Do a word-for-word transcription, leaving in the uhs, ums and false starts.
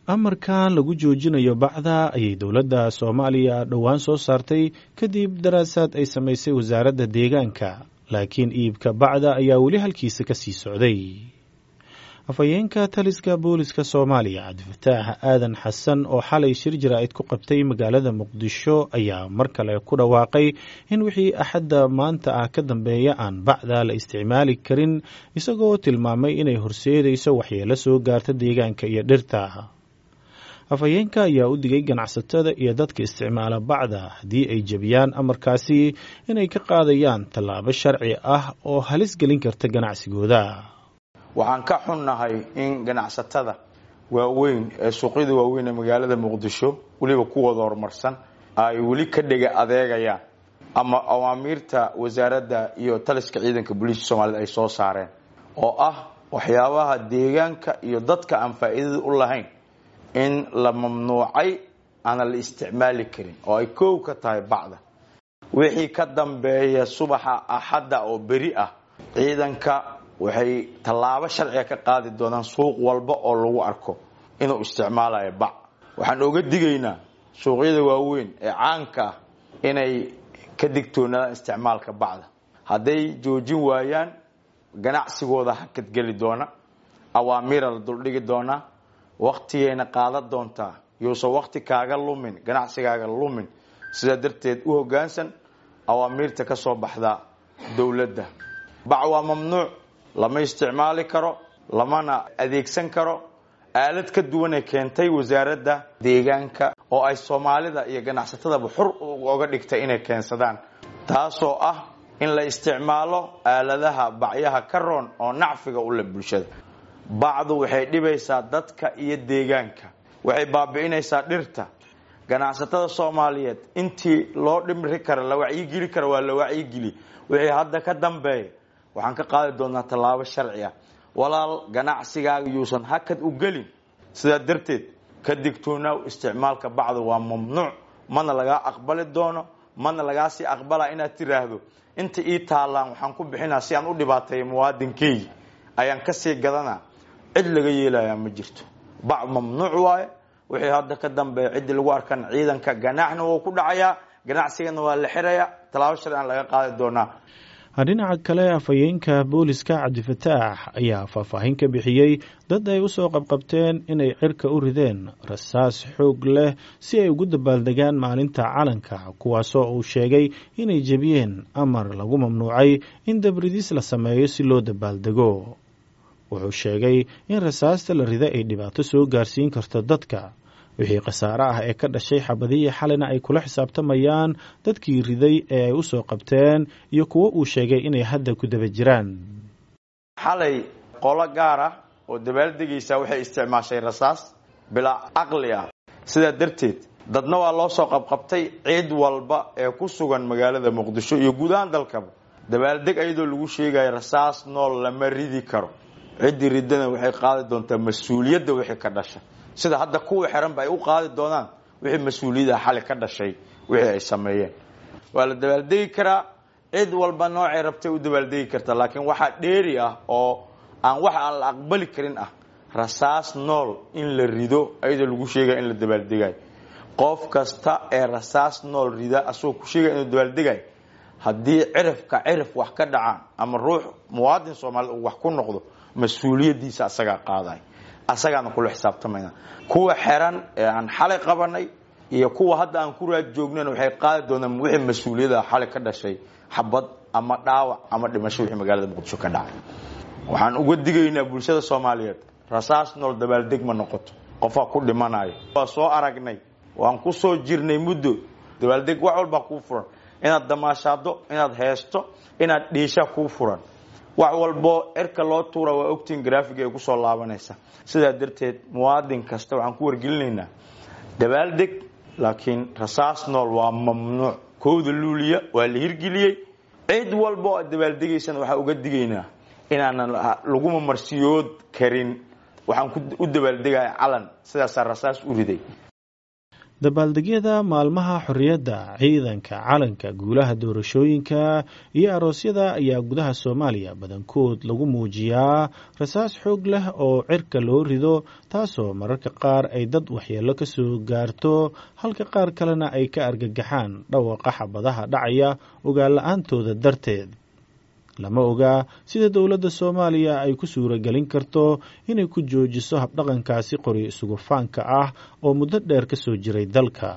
Amarkan lagu joojinayo bacda ayay dowladda Soomaaliya dhowaan soo saartay kadib daraasaad ay samaysay wasaaradda deegaanka, laakiin iibka bacda ayaa weli halkiisa ka sii socday. Afhayeenka taliska booliska Soomaaliya Cabdifataax Aadan Xasan oo xalay shir jaraa'id ku qabtay magaalada Muqdisho ayaa mar kale ku dhawaaqay in wixii Axadda maanta ah ka dambeeya aan bacda la isticmaali karin, isagoo tilmaamay inay horseedayso waxyeelo soo gaarta deegaanka iyo dhirta. Afhayeenka ayaa u digay ganacsatada iyo dadka isticmaala bacda haddii ay jebiyaan amarkaasi inay ka qaadayaan tallaabo sharci ah oo halis gelin karta ganacsigooda. Waxaan ka xunnahay in ganacsatada waaweyn ee suuqyada waaweyn ee magaalada Muqdisho weliba kuwooda horumarsan ay weli ka dhega adeegayaan ama awaamiirta wasaaradda iyo taliska ciidanka booliiska Soomaalida ay soo saareen oo ah waxyaabaha deegaanka iyo dadka aan faa'iidada u lahayn in la mamnuucay aana la isticmaali karin oo ay koow ka tahay bacda. Wixii ka dambeeya subaxa Axadda oo beri ah, ciidanka waxay tallaabo sharciga ka qaadi doonaan suuq walba oo lagu arko inuu isticmaalayo bac. Waxaan oga digaynaa suuqyada waaweyn ee caanka ah inay ka digtoonaadaan isticmaalka bacda. Hadday joojin waayaan, ganacsigooda hakadgeli doona, awaamiira la duldhigi doonaa, waqtigayna qaadan doontaa. Yuusan waqti kaaga lumin, ganacsigaaga lumin. Sidaa darteed u hoggaansan awaamiirta ka soo baxda dowladda. Bac waa mamnuuc, lama isticmaali karo, lamana adeegsan karo. Aalad ka duwan ee keentay wasaaradda deegaanka oo ay Soomaalida iyo ganacsatadaba xur uga dhigtay inay keensadaan, taasoo ah in la isticmaalo aaladaha bacyaha ka roon oo nacfiga u leh bulshada. Bacdu waxay dhibaysaa dadka iyo deegaanka, waxay baabi'inaysaa dhirta. Ganacsatada Soomaaliyeed intii loo dhimri kara, la wacyigeli kara, waa la wacyigeli. Wixii hadda ka dambeeya waxaan ka qaadi doonaa tallaabo sharci ah. Walaal, ganacsigaaga yuusan hakad u gelin. Sidaa darteed ka digtoonaaw isticmaalka bacda, waa mamnuuc, mana lagaa aqbali doono, mana lagaa sii aqbalaa inaad tiraahdo inta ii taallaan waxaan ku bixinaa si aan u dhibaateeyo muwaadinkeygi ayaan kasii gadanaa. Cid laga yeelayaa ma jirto. Bac mamnuuc waaye. Wixii hadda ka dambeeya ciddii lagu arkan ciidanka ganaaxna wuu ku dhacayaa, ganacsigana waa la xirayaa, tallaabo sharci aan laga qaadi doonaa. Dhinaca kale, afhayeenka booliska Cabdifataax ayaa faahfaahin ka bixiyey dad ay usoo qabqabteen inay cirka u rideen rasaas xoog leh si ay ugu dabaaldegaan maalinta calanka, kuwaasoo uu sheegay inay jebiyeen amar lagu mamnuucay in dabridis la sameeyo si loo dabaaldego. Wuxuu sheegay in rasaasta la rida ay dhibaato soo gaarsiin karto dadka, wixii khasaare ah ee ka dhashay xabadihii xalina ay kula xisaabtamayaan dadkii riday ee ay u soo qabteen iyo kuwo uu sheegay inay hadda ku daba jiraan. Xalay qolo gaar ah oo dabaaldegaysaa waxay isticmaashay rasaas bilaa caqli ah. Sidaa darteed dadna waa loo soo qabqabtay. Ciid walba ee ku sugan magaalada Muqdisho iyo guud ahaan dalkaba, dabaaldeg ayadoo lagu sheegayo rasaas nool lama ridi karo. Ciddii ridana waxay qaadi doontaa mas-uuliyadda wixii ka dhasha, sida hadda kuwa xiran ba ay u qaadi doonaan wixii mas-uuliyadda xali ka dhashay wixii ay sameeyeen. Waa la dabaaldegi karaa, cid walba noocay rabtay u dabaaldegi kartaa, laakiin waxaa dheeri ah oo aan wax aan la aqbali karin ah rasaas nool in la rido ayadoo lagu sheegaya in la dabaaldegayo. Qof kasta ee rasaas nool rida asagoo ku sheegaya inuu dabaaldegayo, haddii cirifka cirif wax ka dhacaan ama ruux muwaadin Soomaaliyed uu wax ku noqdo, mas-uuliyaddiisa asagaa qaaday, asagaana kula xisaabtamayna. Kuwa xiran ee aan xalay qabanay iyo kuwa hadda aan ku raad joognan waxay qaadi doonaan wixii mas-uuliyadda xalay ka dhashay, xabad ama dhaawac ama dhimasho wixii magaalada Muqdisho ka dhacay. Waxaan uga digaynaa bulshada Soomaaliyeed, rasaas nool dabaaldeg ma noqoto, qofaa ku dhimanayo. Waa soo aragnay, waan ku soo jirnay muddo dabaaldeg. Wax walbaa kuu furan, inaad damaashaado, inaad heesto, inaad dhiisha kuu furan. Wax walbo cirka loo tuura waa ogtiin graafiga ay kusoo laabanaysa. Sidaa darteed muwaadin kasta waxaan ku wargelinaynaa dabaaldeg, laakiin rasaas nool waa mamnuuc. Kowda Luuliya waa la hirgeliyey. Cid walba oo aad dabaaldegaysana waxaa uga digaynaa inaanan laguma marsiyood karin waxaan u dabaaldegaya calan sidaasaa rasaas u riday. Dabaaldegyada maalmaha xorriyadda, ciidanka, calanka, guulaha doorashooyinka iyo aroosyada ayaa gudaha Soomaaliya badankood lagu muujiyaa rasaas xoog leh oo cirka loo rido, taasoo mararka qaar ay dad waxyeello ka soo gaarto, halka qaar kalena ay ka argagaxaan dhawaqa xabadaha dhacaya ogaan la-aantooda darteed. Lama oga sida dowladda Soomaaliya ay ku suuragelin karto inay ku joojiso habdhaqankaasi qori isugu faanka ah oo muddo dheer ka soo jiray dalka.